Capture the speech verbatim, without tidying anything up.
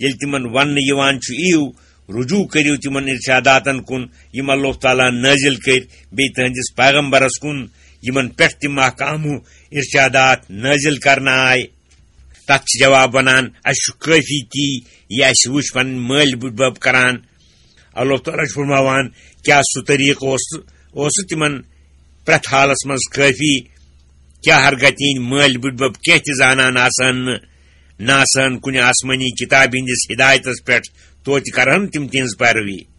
ییٚلہِ تِمن وننہٕ یِوان چھُ، "یِیِو، رجوع کٔرِو تِمن ارشاداتن کُن، یِم اللہ تعالیٰ ہن نٲزِل کٔرۍ، بیٚیہِ تُہنٛدِس پیغمبرس کُن، یِمن پٮ۪ٹھ تِم محکامو ارشادات نٲزِل کرنہٕ آے۔" تتھ چھُ جواب ونان، "اسہِ چھُ کٲفی تی، یہِ اسہِ وٕچھ پنٕنۍ مٲلۍ بٕڈبب کران۔" اللہ تعالیٰ چھُ فرماوان، کیٛاہ سُہ طریٖقہٕ اوس، اوس سُہ تِمن پرٛٮ۪تھ حالس منٛز کٲفی؟ کیٛاہ ہرگاہ تِہنٛدۍ مٲلۍ بٕڈبب کینٛہہ تہِ زانان آسہٕ ہن نہٕ، نہ آسہٕ ہن کُنہِ آسمٲنی کِتابہِ ہٕنٛدِس ہدایتس پٮ۪ٹھ، توتہِ کرہن تِم تِہنٛز پیروی۔